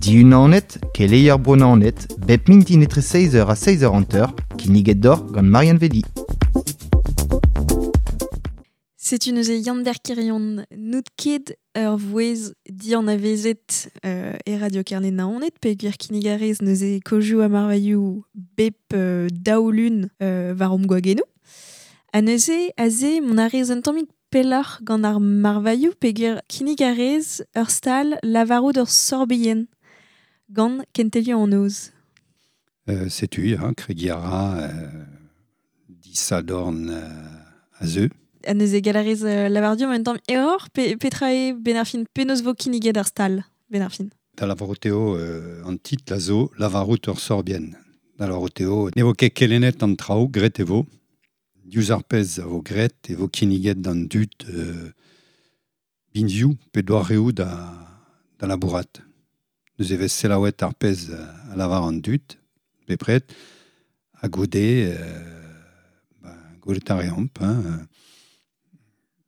Diunanet, keleier Bro-Naoned, bep mintin etre 6h ha 6h50, kinniget d'or gant Marianne Vedi. Setu neuze Yann-Ber Kirion n'out ket ur vouezh dianavezet e Radio Kerne Naoned peogwir kinnig a rez neuze kozioù ha marvailhoù bep daoulun war hom gwagennoù. Ha neuze aze mont a rez un tammig pelloc'h gant ar marvailhoù peogwir kinnig a rez ur stal lavarout ur sorbienn gant kentelioù an noz. Setu, ya, kregiñ a ra disadorn a zeu. Ha neuze gall a rez lavar deomp un tamm error pe petra eo 'benn ar fin penaos vo kinniget ar stal 'benn ar fin. Da lavarout eo an titl a zo lavarout ur sorbienn. Da lavarout eo ne vo ket kelennet an traoù, graet e vo. Diouzh ar pezh a vo graet e vo kinniget d'an dud binvioù pe doareoù da, da labourat. Neuze e vez selaouet ar pezh a lavar an dud, bepred, ha goude, ba, gwelet a reomp. Hein.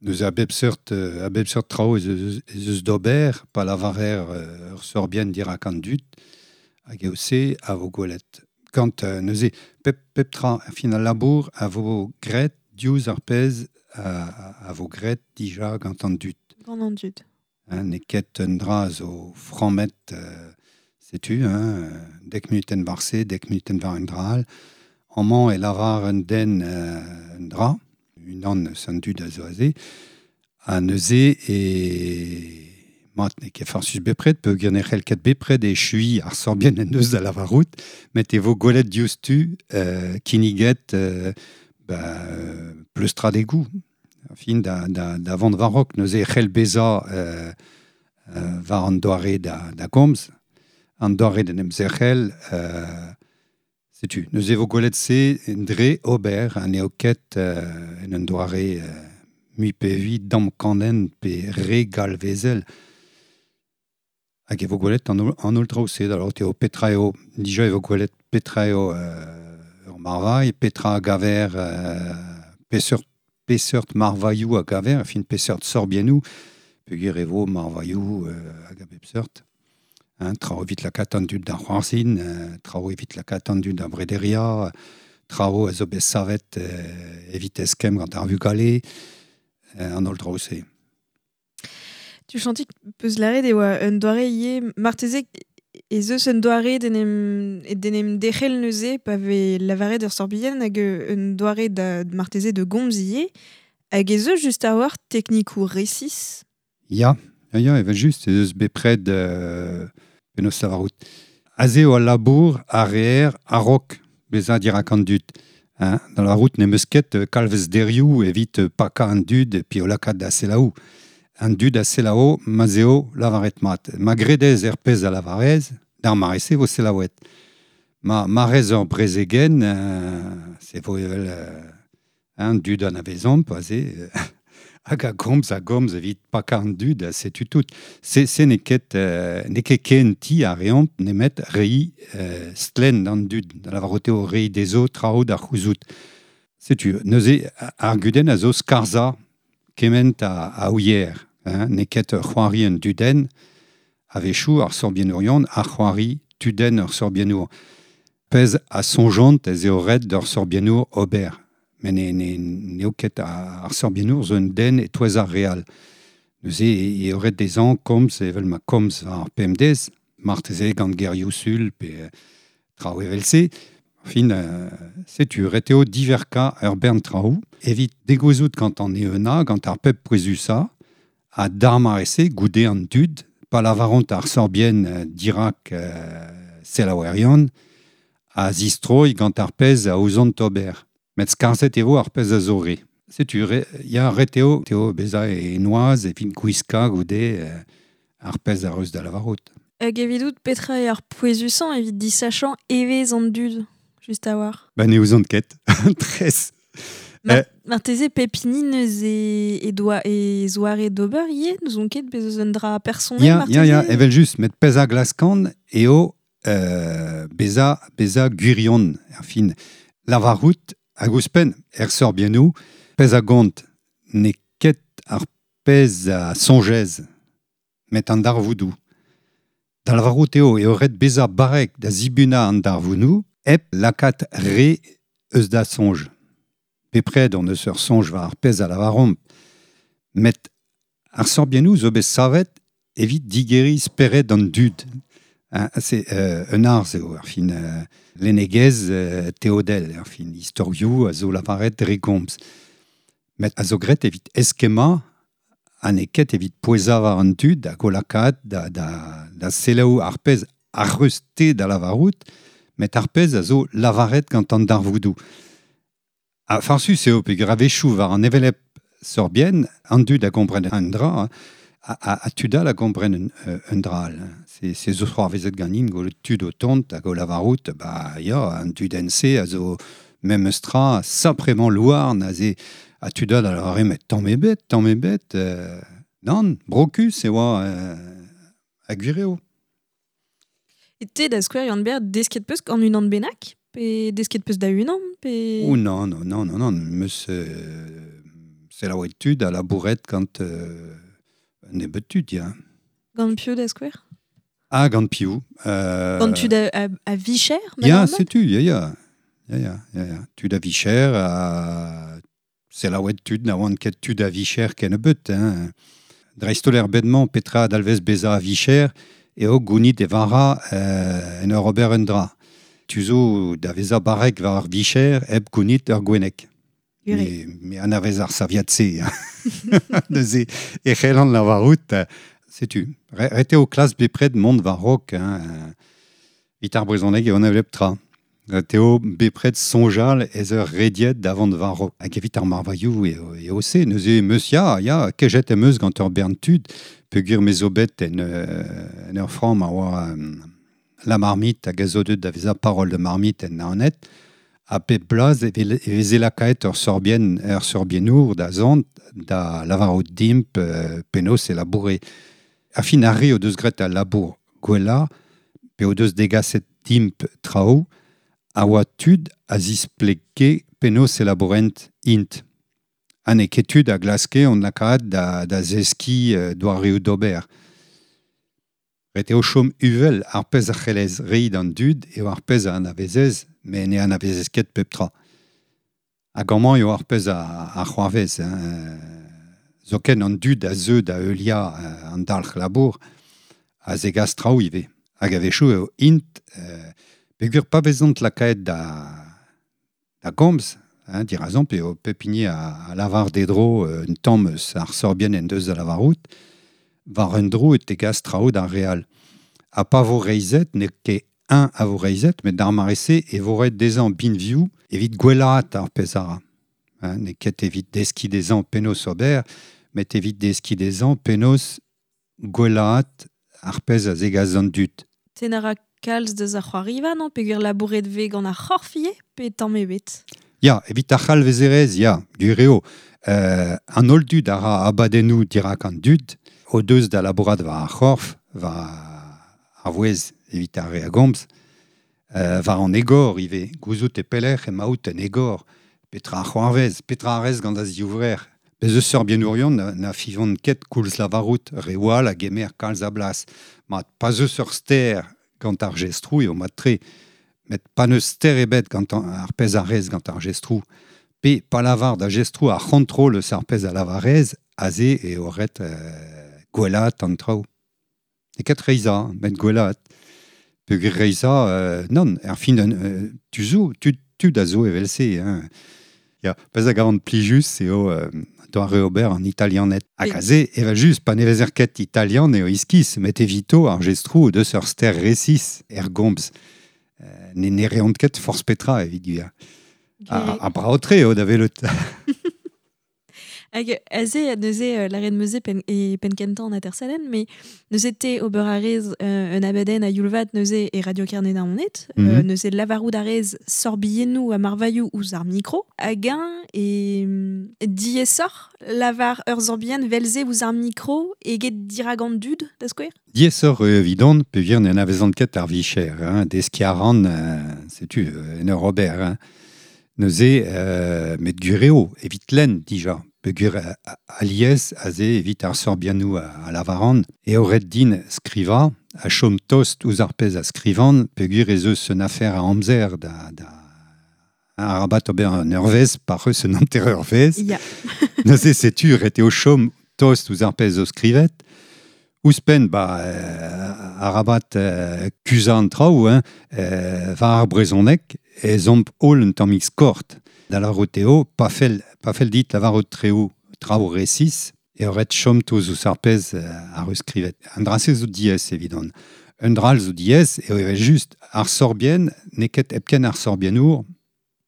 Neuze a bep seurt, a bep seurt traoù ez eus, ez eus d'ober pa lavarer ur sorbienn dirak an dud, hag eo se a vo gwelet. Gant neuze pep, pep tra, fin al labour a vo graet diouzh ar pezh a vo graet dija gant an dud. Gant an dud. Hein, n'eo ket un dra a zo frammet, setu, hein, dek munutenn war se, dek munutenn war un dra all. Amañ e lavar un den un dra, unan eus an dud a zo aze, ha neuze e mat n'eo ket farsus bepred, peogwir ne c'hell ket bepred echuiñ ar sorbienn en deus da lavarout, met e vo gwelet diouzhtu kinniget ba, pleustradegoù, fin da, da, da vont war-raok. Neuze e c'hell bezañ war an doare da, da gomz, an doare d'en em zerc'hel, setu, neuze e vo gwelet se dre ober ha n'eo ket en un doare mui pe vui damkanenn pe re galvezel. Hag e vo gwelet an, an holl traoù-se, da lavarout eo petra eo, dija e vo gwelet petra eo ur marvailh, petra a gaver, peseurt, peseurt marvailhoù a gaver, enfin peseurt sorbiennoù, peogwir e vo marvailhoù hag a bep seurt. Hein, traoù evit lakaat an dud da c'hoarzhin, traoù evit lakaat an dud da brederiañ, traoù a zo bet savet evit eskemm gant ar vugale, an holl draoù-se. Tu chantik peus lâret e oa un doare ivez, marteze ez eus un doare d'en em, d'en em derc'hel neuze pa vez lavaret ur sorbienn hag un doare da marteze de gomz ivez. Hag ez eus just a-walc'h teknikoù resis? Ya, ya, ya, evel-just, ez eus bepred penaos lavarout. Aze eo al labour a reer a-raok bezañ dirak an dud. Hein, da lavarout n'em eus ket kalvezderioù evit pakañ an dud pe o lakaat da selaou. An dud a selaou ma'z eo lavaret mat. Ma gredez er pezh a lavarez, d'ar mare-se vo selaouet. Ma, ma rez ur brezegenn, se vo evel an dud anavezomp aze, hag a gomz a gomz evit pakañ an dud, setu tout. Se, se n'eo ket, n'eo ket ken ti a reomp nemet reiñ stlenn d'an dud, da lavarout eo reiñ dezho traoù da c'houzout. Setu, neuze ar gudenn a zo skarzhañ kement a, a ouier. Hein, n'eo ket c'hoari un dudenn, a-wechoù ar sorbiennourion a c'hoari tudenn ur sorbiennour. Pezh a soñjont ez eo ret d'ur sorbiennour ober. Met ne, ne, n'eo ket ar sorbiennour zo un den e-touez ar re all. Neuze eo ret dezhañ komz evel ma komz war ar pemdez, marteze gant gerioù sul pe traoù evel-se. Fin, setu, ret eo diverkañ ur bern traoù evit degouezhout gant an eeunañ, gant ar pep pouezusañ, ha d'ar mare-se, goude an dud, pa lavaront ar sorbienn dirak selaouerion, a zistroy gant ar pezh a ouzont ober. Met skarzhet e vo ar pezh a zo re. Setu, re, ya, ret eo, eo bezañ e noazh evit gwiskañ goude ar pezh a reus da lavarout. Hag evidout, petra eo ar pouezusañ evit disachañ evezh an dud, just a-walc'h? Ba ne ouzon ket, tres. Marteze pep hini neuze e doa e zoare d'ober ivez, n'ouzon ket bez eus un dra personel Ya, marteze? ya, ya, evel-just, met pezh a glaskan eo bezañ, bezañ gwirion, erfin. Lavarout hag ouzhpenn er sorbiennoù, pezh a gont n'eo ket ar pezh a soñjez, met an darvoudoù. Da lavarout eo ret beza barek da zibuna an darvounou, hep lakaat re eus da soñj. Bepred on eus ur soñj war ar pezh a lavaromp. Met ar sorbiennoù zo bet savet evit digeriñ spered an dud. Hein, c'est un arz eo, ar fin lennegezh teodel, ar fin istorioù a zo lavaret dre gomz. Met a zo graet evit eskemmañ ha n'eo ket evit pouezañ war an dud hag o lakaat da selaou ar pezh ar reus-te da lavarout, met ar pezh a zo lavaret gant an darvoudoù. Ha farsus eo peogwir a-wechoù war an hevelep sorbienn, an dud a gompren un dra, ha tud all a gompren un dra all. C'est zo c'hoarvezet ganin gant tud o tont hag o lavarout, ba ya, an dudenn-se a zo memes tra saprement louarn aze ha tud all a lavare met tamm ebet, nann, brokus e oa ha gwir eo. E te da skouer Yann-Ber desket peus gant unan bennak? Pe desket peus da unan? Pe... Oh non, meus selaouet tud a labouret gant un nebeud tud, ya. Gant piv da skouer? Ah, gant piv. Gant tud a vicher? Ya, setu, ya. Ya. Tud a vicher, a selaouet tud na oant ket tud a vicher kennebeut. Hein. Dreist-holl er bed-mañ petra dalvez bezañ a vicher eo gounit e vara en ur ober un dra. Tu zo da vezañ barrek war ar vicher hep gounit ur gwenneg. Me anavez ar saviad-se. Neuze e c'hellan lavarout, setu. Ret eo klas bepred mont war-raok. Hein. Evit ar brezhoneg eo an hevelep tra. Ret eo bepred soñjal ez ur rediet da vont war-raok. Hag evit ar marvailhoù eo se. Neuze meus ya, kejet em eus gant ur bern tud, peogwir me zo bet en ur framm a oa la marmite hag a zo deut da vezañ parole de marmite en Naoned, ha pep bloaz e veze lakaet ur sorbiennour da zont da lavarout dimp penaos e laboure. A fin ar re o deus graet al labour gwellañ, pe o deus degaset dimp traoù, a oa tud a zisplege penaos e labourent int. Ha n'eo ket tud a glaske on lakaat da zeskiñ doareoù d'ober. Ret eo chom uvel ar pezh a c'hellez reiñ d'an dud eo ar pezh a anavezez, met ne anavezez ket pep tra. Hag amañ eo ar pezh a c'hoarvez. Hein. Zoken an dud a zeu da heuliañ an dalc'h labour a zegas traoù ivez. Hag a-wechoù eo int, peogwir pa vezont lakaet da gomz, hein, dirazomp eo pep hini a lavar dedro un tamm eus ar sorbienn en deus da lavarout, war un dro e tegas traoù d'ar re all. Ha pa vo reizhet, n'eo ket un a vo reizhet, met d'ar mare-se e vo ret dezhañ binvioù evit gwellaat ar pezh a ra. Hein, n'eo ket evit deskiñ dezhañ penaos ober, met evit deskiñ dezhañ penaos gwellaat ar pezh a zegas an dud. Tenn a ra kalz deus ar c'hoariva, non? Peogwir labouret vez gant ar c'horf ivez, pe tamm ebet? Ya, evit ar c'halvezerezh, ya, gwir eo. An holl dud a ra abadennoù dirak an dud, o deus da labourat war ar c'horf, war ar vouezh evit ar re a gomz, war an egor ivez, gouzout e pelec'h emaout en egor, petra ar c'hoarvez, petra a rez gant a ziouvrer. Bez eus sorbiennourion na fivont ket koulz lavarout, re all a gemer kalz a blas. Mat pas eus ur ster gant ar jestroù eo mat-tre, met pa n'eus ster ebet gant ar pezh a rez gant ar jestroù. Pe pa lavar da jestroù ar c'hontrol eus ar pezh a lavarez, aze eo ret gwellaat an traoù. E ket reizhañ, met gwellaat. Peogwir reizhañ, nann, er fin tu zo, tud a zo evel-se. Hein. Ya, pezh a gavan plijus eo doare ober an italianed. Hag aze, evel just, pa ne vezer ket italian eo iskis, met evito ar jestroù o deus ur ster resis er gomz. Ne reont ket forzh petra evit gwir. A brav-tre eo da welout. Hag aze, neuze, lâret 'm eus e penn kentañ an atersadenn, met neuze te ober a rez un abadenn a youl-vat neuze e Radio Kerne Naoned, neuze lavarout a rez sorbiennoù ha marvailhoù ouzh ar mikro, hag eñ e diaesoc'h lavar ur sorbienn vel-se ouzh ar mikro eget dirak an dud, da skouer? Diaesoc'h eo evidon, peogwir ne anavezan ket ar vicher, hein, deskiñ a ran, setu, en ur ober. Hein. Neuze, met gwir eo, evit lenn dija. Peogwir alies aze evit ar sorbiennoù a lavaran, eo ret din skrivañ, a chom tost ouzh ar pezh a skrivan, peogwir ez eus un afer a amzer da arabat ober un eurvezh, par eus un hanter-eurvezh. Ya. Neuze setu ret eo chom tost ouzh ar pezh zo skrivet. Ouzhpenn, ba, arabat kuzañ an traoù, hein, war ar brezhoneg, ez omp holl un tammig skort. Da lavarout eo, pa fell dit lavarout traoù resis, eo ret chom toz ouzh ar pezh ar eus skrivet. An dra-se zo diaes evidon. Un dra all zo diaes eo evel just ar sorbienn n'eo ket hepken ar sorbiennour,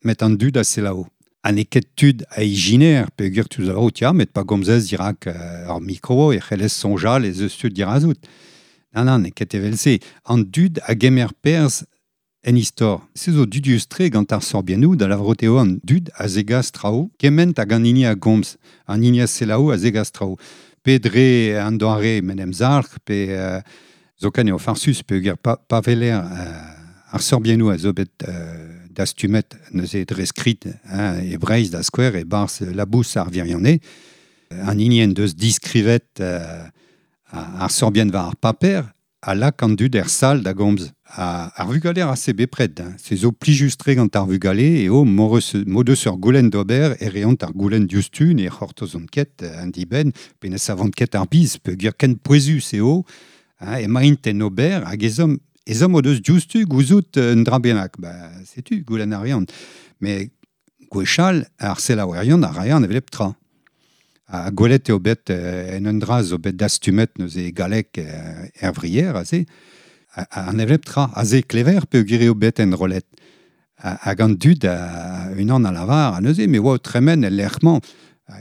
met an dud a selaou. Ha n'eo ket tud a ijiner peogwir tu lavarout ya, met pa gomzez dirak ar mikro e c'hellez soñjal ez eus tud dirazout. Nann, nann, n'eo ket evel-se. An dud a gemer perzh en istor. Se zo dudius-tre gant ar sorbiennoù da lavarout eo an dud a zegas traoù, kement hag an hini a gomz, an hini a selaou a zegas traoù. Pe dre an doare m'en em zalc'h, pe zoken eo farsus peogwir pa weler ar sorbiennoù a zo bet dastumet neuze dre skrid, hein, e Breizh da skouer e barzh Labous ar Virionez, an hini en deus diskrivet ar sorbienn war ar paper, a lak an dud er sal da gomz. Ar vugale a se bepred, hein. Se zo plijus-tre gant ar vugale eo mod eus ur goulenn d'ober e reont ar goulenn diouzhtu ne c'hortozont ket an dibenn pe ne savont ket ar biz peogwir ken pouezus eo, hein, emaint en ober hag ezhomm o deus diouzhtu gouzout un dra bennak. Ba, setu, goulenn a reont. Met gwechall ar selaouerion a rae an hevelep tra. Ha gwelet eo bet en un dra zo bet dastumet neuze galleg er vrier aze, an hevelep tra aze klever peogwir eo bet enrollet. Hag an dud unan a lavar, ha neuze me oa o tremen el lec'h-mañ.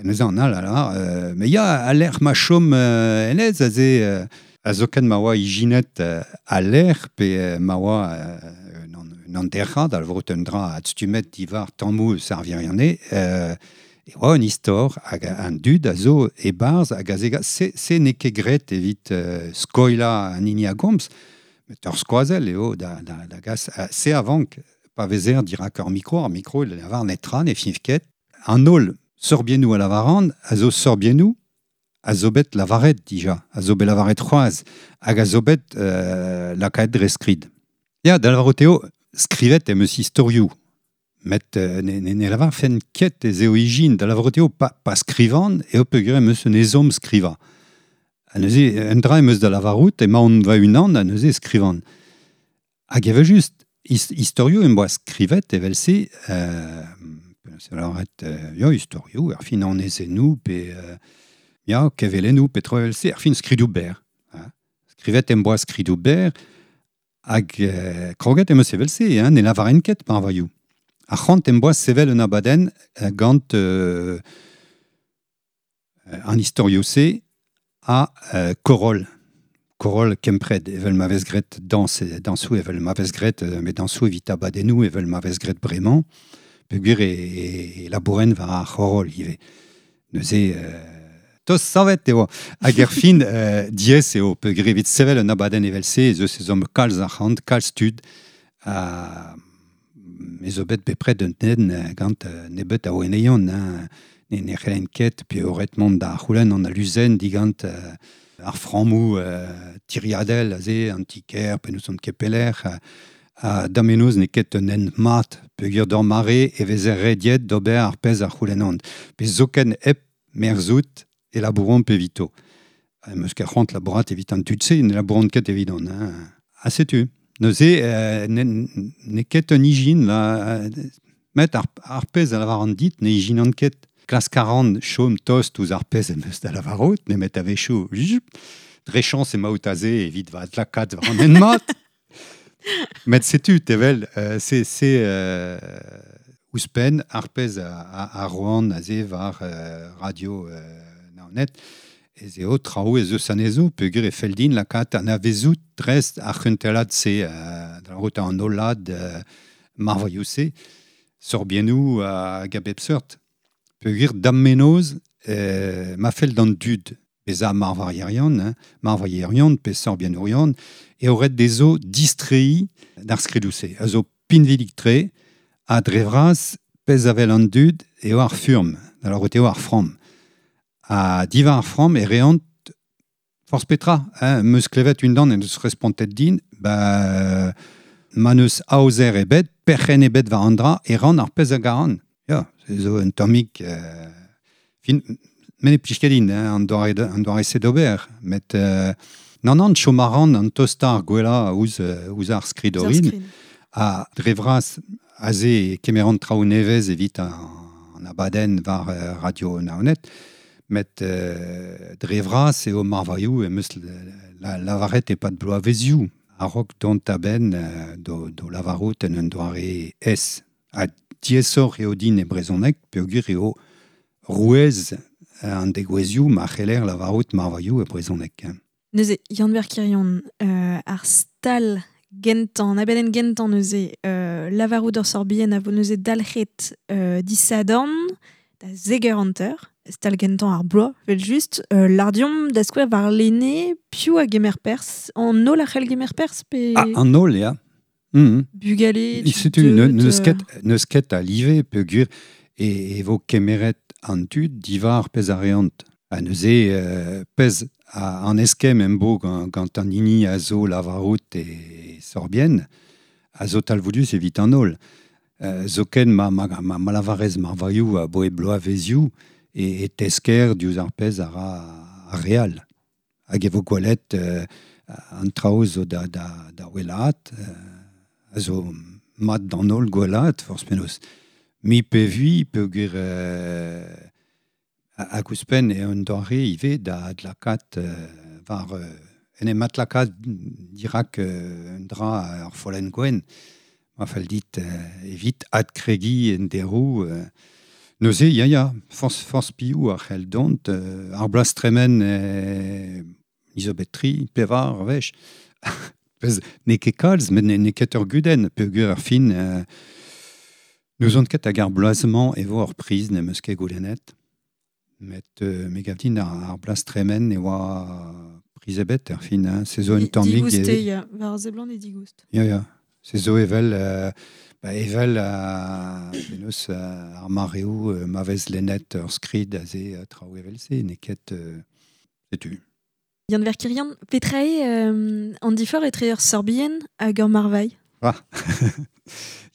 Neuze an all a lavar, me ya al lec'h ma chom hennezh aze a zoken ma oa ijinet al lec'h pe ma oa un hanterc'had, al vrot un dra adstumet diwar tammoù eus ar virionez, e oa un istor hag an dud a zo e-barzh hag a zegas se n'eo ket graet evit skoilañ an hini a gomz, met ur skoazell eo da gas. Se a vank pa vezer dirak ar mikro il lavar netra, ne fiñv ket. An holl sorbiennoù a lavaran a zo sorbiennoù a zo bet lavaret dija, a zo bet lavaret c'hoazh hag a zo bet lakaet dre skrid. Ya, da lavarout eo, skrivet em eus istorioù. Met ne lavarfen ket ez eo ijin, da lavarout eo pa skrivan eo peogwir em eus un ezhomm skrivañ. Ha neuze, un dra em eus da lavarout, emaon va-unan ha neuze skrivan. Hag evel just, istorioù em boa skrivet evel-se, lavaret, ya, istorioù, er fin anezennoù, pe ya, kevelennoù, pe traoù evel-se, er fin skridoù berr. Hein. Skrivet em boa skridoù berr, hag kroget em eus evel-se, hein, ne lavaren ket marvailhoù. Ar c'hoant em boa sevel un abadenn gant an istorioù-se a koroll. Koroll kempred, evel ma vez graet dañsoù, evel ma vez graet met dañsoù evit abadennoù, evel ma vez graet bremañ, peogwir e labouren war ar c'horoll ivez. Neuze, tost savet eo. Hag er fin, diaes eo, peogwir evit sevel un abadenn evel-se, ez eus ezhomm kalz arc'hant, kalz tud, me zo bet bepred un den gant nebeut a oeneion, hein, ne c'hellen ket, pe eo ret mont da c'houlenn an aluzenn digant ar frammoù tiriadel aze, an ti-kêr, pe n'ouzon ket pelec'h, ha damenoz n'eo ket un hent mat, peogwir d'ur mare e vezer rediet d'ober ar pezh a c'houlennont. Pe zoken hep merzout e labouront evito. Em eus ket c'hoant labourat evit an tud-se, ne labouront ket evidon. Hein. Ha setu. Neuze, n'eo ket un ijin, là, met ar pezh a lavaran dit ne ijinan ket. Klask a ran chom tost ouzh ar pezh em eus da lavarout, nemet a-wechoù, dre chañs emaout aze evit va adlakaat war an hent mat. Met setu, tevel, se ouzhpenn ar pezh a roan aze war radio Naoned, ez eo traoù ez eus anezho, peogwir e fell din lakaat anavezout dreist ar c'hentelad-se, da lavarout an hollad marvailhoù-se, sorbiennoù hag a bep seurt. Peogwir da'm menoz, ma fell d'an dud bezañ marvailherion, hein, marvailherion pe sorbiennourion, eo ret dezho distreiñ d'ar skridoù-se. A zo pinvidik-tre, ha dre vras pezh a wel an dud eo ar furm, da lavarout eo ar framm. Ha diwar ar framm e reont Forz petra, hein, meus klevet un dan en deus respontet din, ba, ma neus aozer ebet, perc'hen ebet war an dra, e ran ar pezh a garan. Ya, se zo un tammig... fin, men e plij ket din, hein, an doare se d'ober, met... Nan, chom a ran an tostar gwella ouzh ar skrid orin, a dre vras aze kemeran traoù nevez evit an abadenn war Radio Naoned, met dre vras eo marvailhoù em eus lavaret e-pad bloavezioù a-raok dont a-benn do lavarout en un doare es. Ha diaesoc'h eo din e brezhoneg peogwir eo rouez an degouezhioù ma c'heller lavarout marvailhoù e brezhoneg. Neuze, Yann-Ber Quirion, ar stal gentan, abadenn gentan neuze, lavarout ur sorbienn a vo neuze dalc'het disadorn da zeger hanter, stal gentan ar bloaz, vel just, lardiom da skouer war lene, piv a gemer pers, an holl a c'hell gemer pers pe... Ah, an holl, ya. Mm-hmm. Bugale, setu, neus ket a live peogwir e vo kemeret an tud diwar pezh a reont. Ha neuze pezh an eskemm em bo gant an hini a zo lavarout e sorbienn, a zo talvoudus evit an holl. Zoken ma lavarez marvailhoù a boe bloavezioù e tesker diouzh ar pezh a ra ar real. Hag e vo gwelet an traoù zo da wellaat, a zo mat d'an holl gwellaat, forzh penaos. Mi pe vui peogwir hag ouzhpenn eo un doare ivez da adlakaat war en em adlakaat dirak un dra ar follenn gwenn. Ma fell dit evit adkregiñ en deroù. Neuze, ya, forzh piv a c'hell dont. Ar bloaz tremen zo bet tri, pevar, wech. Pezh n'eo ket kalz, met n'eo ket ur gudenn peogwir ar fin. N'ouzon ket hag ar bloaz-mañ e vo ur priz n'em eus ket goulennet. Met me gav din ar bloaz tremen e oa priz ebet er fin. Hein. Se zo un tammig... Digoust eo, ya. War seblant eo digoust. Ya. Se zo evel, penaos ar mareoù ma vez lennet ur skrid aze traoù evel-se, n'eo ket... setu. Yann-Ber Quirion, petra eo an diforc'h etre ur sorbienn hag ur marvailh? Ah.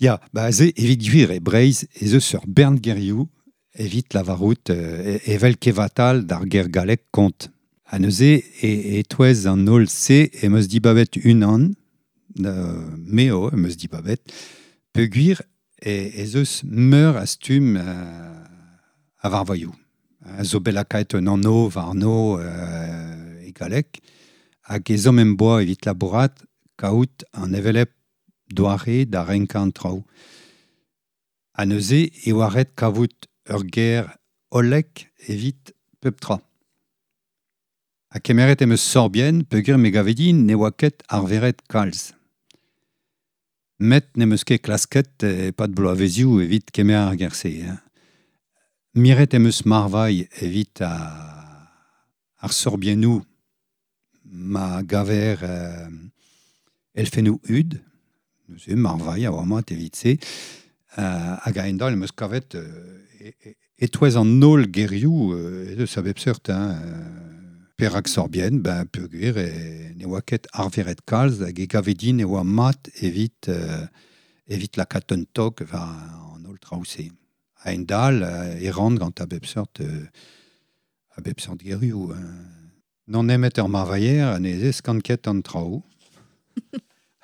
Ya, ba aze evit gwir e Breizh ez eus ur bern gerioù evit lavarout evel kevatal d'ar ger gallek kont. Ha neuze e-touez an holl se em eus dibabet unan, me eo em eus dibabet, peogwir ez eus meur a stumm a varvailhoù. A zo bet lakaet un anv warno e galleg, hag ezhomm em boa evit labourat kaout an hevelep doare da renkañ an traoù. Ha neuze e oa ret kavout ur ger hollek evit pep tra. Ha kemeret em eus sorbienn peogwir me gave din ne oa ket arveret kalz. Met n'em eus ket klasket e-pad bloavezioù evit kemer ar ger-se. Hein. Miret em eus marvailh evit ar sorbiennoù ma gaver elfennoù hud, neuze marvailh a oa mat evit se, hag a-hend-all em eus kavet e-touez an holl gerioù ez eus a bep seurt, hein, perak sorbienn, ben peogwir ne oa ket arveret kalz hag e gave din e oa mat evit lakaat un tog war an holl traoù-se. A-hend-all e ran gant a bep seurt gerioù. Non nemet ur marvailher ne zeskan ket an traoù.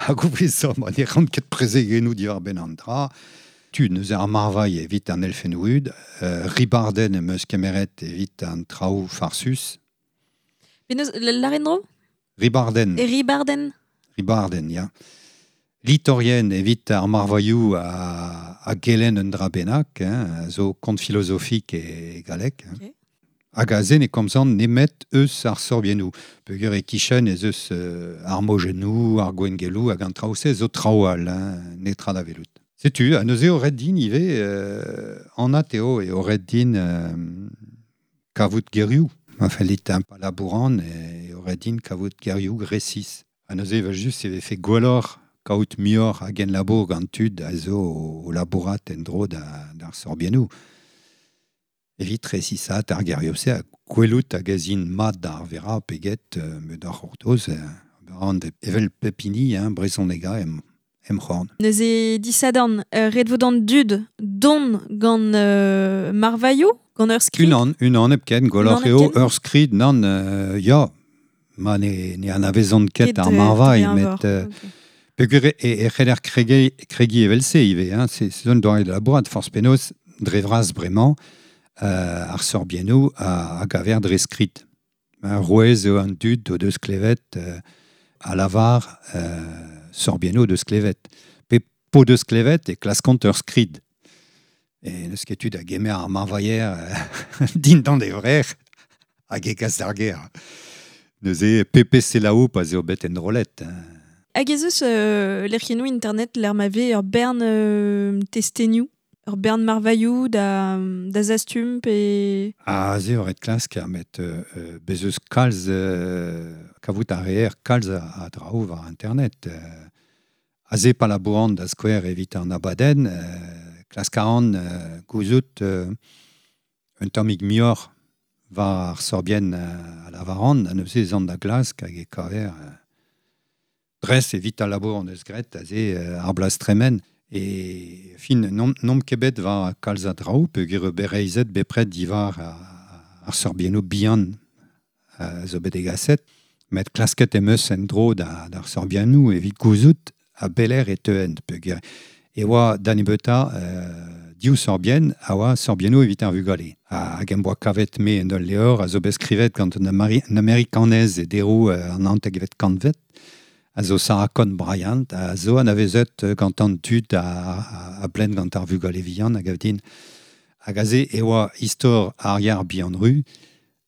Hag ouzhpenn ma ne ran ket prezegennoù diwar-benn an dra. Tu neuze ar marvailh evit an elfennoù hud, ribardenn em eus kemeret evit an traoù farsus. Penaos, lâret dro? Ribardenn. Ribardenn. Ribardenn, ya. Litorien evit ar marvailhoù a gelenn un dra bennak, hein, zo kont filozofik e galleg. Hein. Okay. Hag aze ne komzan nemet eus ar sorbiennoù. Peogwir e-kichen ez eus ar mojennoù, ar gwengeloù hag an traoù-se zo traoù all, hein, netra da welout. Setu, ha neuze eo ret din ivez, anat eo ret din kavout gerioù. Ma fell dit pa labouran eo ret din kavout gerioù resis. Ha neuze evel just e vefe gwelloc'h kaout muioc'h a genlabour gant tud a zo o labourat en-dro d'ar sorbiennoù. Evit resisat ar gerioù-se a gwelout hag ez int mat d'ar vera peget met ar c'hortoz an evel pepini, hein, brezhonega em c'horn. Neuze disadorn, ret vo d'an dud don gant marvailhoù, gant ur skrid? Unan hepken, gwelloc'h eo ur skrid, nann, ya, ma ne anavezont ket ar marvailh, met peogwir e c'heller kregi evel-se ivez, hein, c'est un doare da labourat, forzh penaos, dre vras bremañ, ar sorbiennoù a gaver dre skrid. Rouez eo an dud o deus klevet a lavar sorbiennoù deus klevet. Pe po deus klevet e klaskont ur skrid. E n'eus ket tud a gemer ar marvailher dindan e vrec'h hag e kas d'ar gêr. Neuze pepe selaou pa 'z eo bet enrollet. Hag ez eus lec'hiennoù internet lec'h ma vez ur bern testenioù, ur bern marvailhoù da zastum pe... Ah, se eo ret klask, met bez eus kalz kavout a reer kalz a draoù war internet. Aze pa labouran da skouer evit an abadenn, klask a ran gouzout un tammig muioc'h war ar sorbienn a lavaran, ha neuze ez an da glask hag e kaver dres evit al labour an eus graet aze ar bloaz tremen. E fin, n'omp ket bet war kalz a draoù, peogwir eo bet reizhet bepred diwar ar sorbiennoù bihan zo bet degaset, met klasket em eus en-dro d'ar sorbiennoù evit gouzout a beler e teuent, peogwir e oa da nebeutañ div sorbienn a oa sorbiennoù evit ar vugale. Hag em boa kavet me en ul levr a zo bet skrivet gant un amerikanez e deroù an naontekvet kantved, a zo Sarah Conn Bryant, a zo anavezet gant an tud a blen gant ar vugale vihan hag a din. Hag aze e oa istor ar yar bihan ru,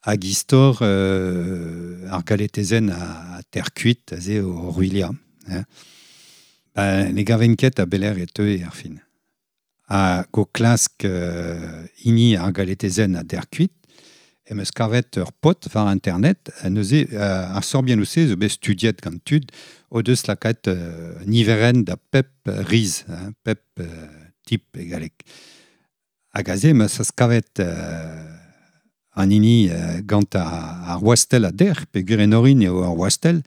hag istor ar galetezenn a terkuit, aze o ruilia. Hein. Ba, ne gaven ket a beler e teue ar fin. Ha go klask hini ar galetezenn a derkuit, em eus kavet ur pot war internet, neuze ar sorbiennoù se zo bet studiet gant tud o deus lakaet niverenn da pep riz, hein, pep tip e galleg. Hag aze em eus kavet an hini gant ar wastell a derc'h, peogwir en orin eo ur wastell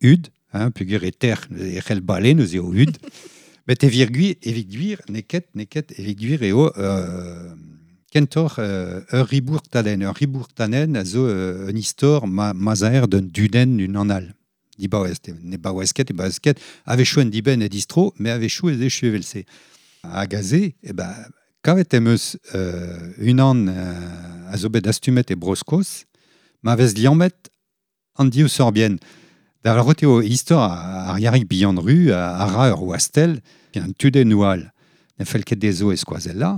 hud, hein, peogwir e terc'h, e c'hell bale neuze eo hud. Met evit gwir, neket, evit gwir eo kentoc'h ur ribourtadenn. Ur ribourtadenn a zo un istor ma zaer d'un dudenn unan all. Dibaouez, ne baouez ket, e baouez ket, a-wechoù en dibenn e distro, met a-wechoù ez echu evel-se. Hag aze, e ba, kavet em eus unan a zo bet astumet e Bro-Skos, ma vez liammet an div sorbienn. Da lavarout eo istor ar Yarig bihan ru a ra ur wastell, an tudennoù all. Ne fell ket dezho e skoazell-la.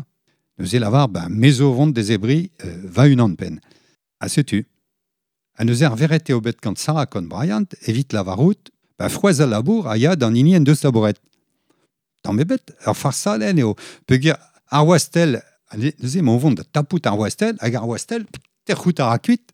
Neuze lavar, ba, me zo vont dezebri va unan penn. Ha setu. Ha neuze ar veret eo bet gant Sarah Conn Bryant evit lavarout, ba, frouezh al labour a ya d'an hini en deus labouret. Tamm ebet, ur farsadenn eo. Peogwir ar wastell, neuze emañ o vont da tapout ar wastell, hag ar wastell, tec'hout a ra kuit.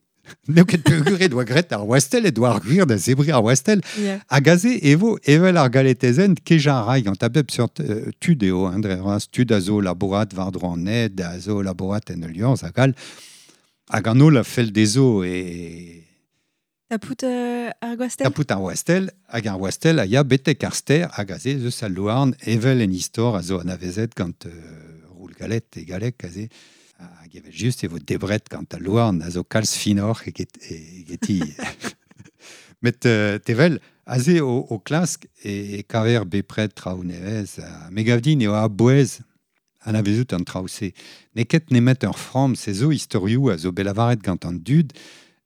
N'eo ket peogwir e doa graet ar wastell, e doa ar gwir da zebriñ ar wastell. Hag aze e vo evel ar galetezenn kejañ a ray gant a bep seurt tud eo, hein, dre vras, tud a zo labourat war-dro an ed, a zo labourat en ul liorzh hag all. Hag an holl a fell dezho e... Tapout ar gwastell? Tapout ar wastell, hag ar wastell a ya betek ar stêr, hag aze eus al louarn evel en istor a zo anavezet gant roul galet e galleg aze. Hag evel just e vo debret gant al louarn a zo kalz finoc'h egeti. Met tevel, aze o klask e kaver bepred traoù nevez. Me gav din eo a-bouez anavezout an traoù-se. N'eo ket nemet ur framm, se zo istorioù a zo bet lavaret gant an dud,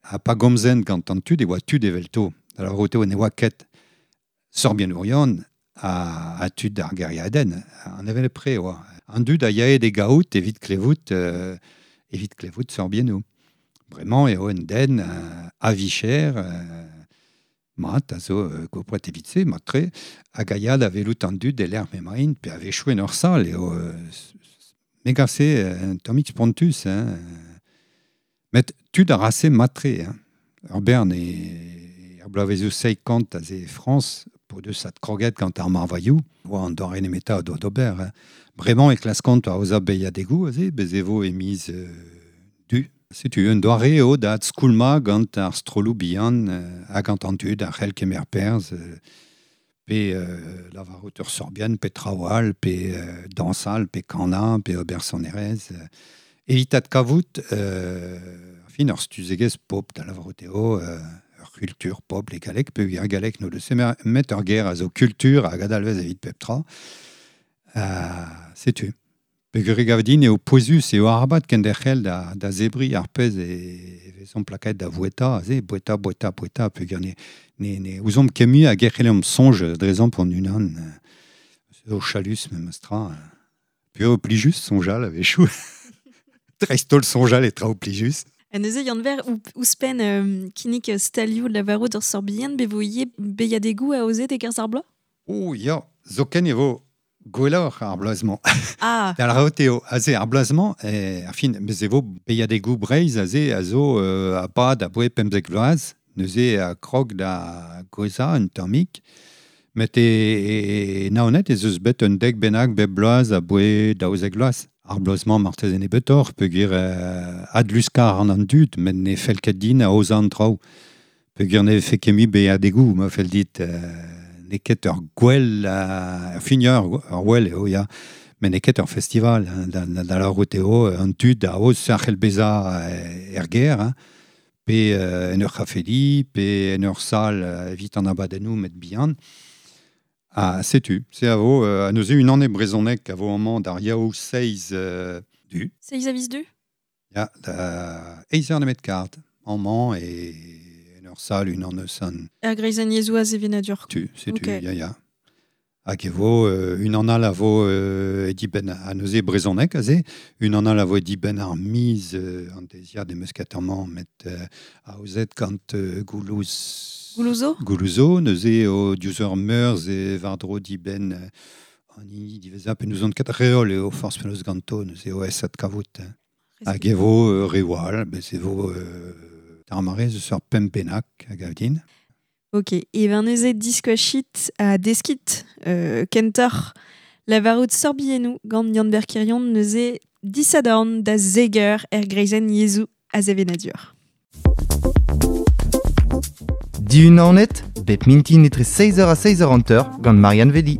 ha pa gomzent gant an tud e oa tud evelto. Da lavarout eo ne oa ket sorbiennourion a tud ar gêriadenn, an evel pre oa. An dud a yae de gaout evit klevout sorbiennoù. Bremañ eo un den a vicher, mat, a zo gopret evit se, mat-tre, hag a ya da welout an dud e lec'h m'emaint, pe a-wechoù en ur sal, eo me gav se un tammig spontus, hein. Met tud a ra se mat-tre, hein. Ur bern e ar bloavezioù 50 aze e Frañs, Po deus at kroget gant ar marvailhou, oa an doare nemeta a doa d'ober. Hein. Bremañ e klaskont a oza beiadegou, aze, bez e vo e miz du. Setu un doare eo da skoulma gant ar strolloù bihan hag gant an tud ar c'hell kemer perzh, pe lavarout ur sorbian, pe traoù pe dañsal, pe kanañ, pe ober sonerezh. Evit ad kavout, fin ur stuzegezh pop da lavarout eo, ur kultur pop e galleg, pe ar galleg no deus met ur ger a zo kultur hag adalvez evit pep tra. Setu. Peogwir e gav din eo pouezus eo arabat kenderc'hel da zebri ar pezh e vezomp lakaet da voueta, aze, boueta, boueta, boueta, peogwir ne ouzomp ket mui hag e c'hellomp soñj drezomp hon unan. Zo chalus memes tra. Peogwir eo plijus soñjal a-wechoù. Dreist-holl soñjal e traoù plijus. Ha neuze Yann-Ber ouzhpenn kinnig stalioù lavarout ur sorbienn be vo ivez beiadegoù aozet e-kerzh ar bloaz? Oh ya, zoken e vo gwelloc'h ar bloaz-mañ. Ah. Da lavarout eo, aze ar bloaz-mañ, ar fin, bez e vo beiadegoù Breizh aze a zo a-bad aboe 15 vloaz, neuze a krog da gouezhañ un tammig. Met e Naoned ez eus bet un dek bennak bep bloaz aboe 12 vloaz. Ar bloaz-mañ marteze nebeutoc'h peogwir adluskañ a ran an dud, met ne fell ket din aozañ an traoù. Peogwir ne vefe ket mui beiadegoù, ma fell dit n'eo ket ur gwell, ur fin ur gwell eo, ya, met n'eo ket ur festival, hein, da lavarout eo, an tud a aoz a c'hell bezañ er gêr, hein, pe en ur c'hafedi, pe en ur sal evit an abadennoù met bihan. Ah, setu, se a vo, a neuze unan e brezhoneg a vo amañ d'ar yaou 6 du. 6 a viz du? Ya, da eizh eur nemet kard, amañ e en ur sal unan eus an... Er greizenn yezhoù a sevenadur. Tu, setu, okay. Ya, ya. Hag e vo unan all a vo e dibenn a neuze brezhoneg aze, unan all a vo e dibenn ar miz an deiziad em eus ket amañ, met aozet gant Goulouz... Goulouzo? Goulouzo, neuze eo diouzh ur meurzh e war-dro dibenn an hini diwezhañ pe n'ouzon ket reol eo forzh penaos ganto, neuze eo aesat kavout. Hag e vo reoù all, bez e vo d'ar mare eus ur pemp bennak a gav din. Ok, e ben neuze diskoachit ha deskit kentoc'h lavarout sorbiennoù gant Yann-Ber Quirion neuze disadorn da zeger er greizenn yezhoù a sevenadur. Dihunanet, bep mintin etre 6h ha 6h50 gant Marianne Vedi.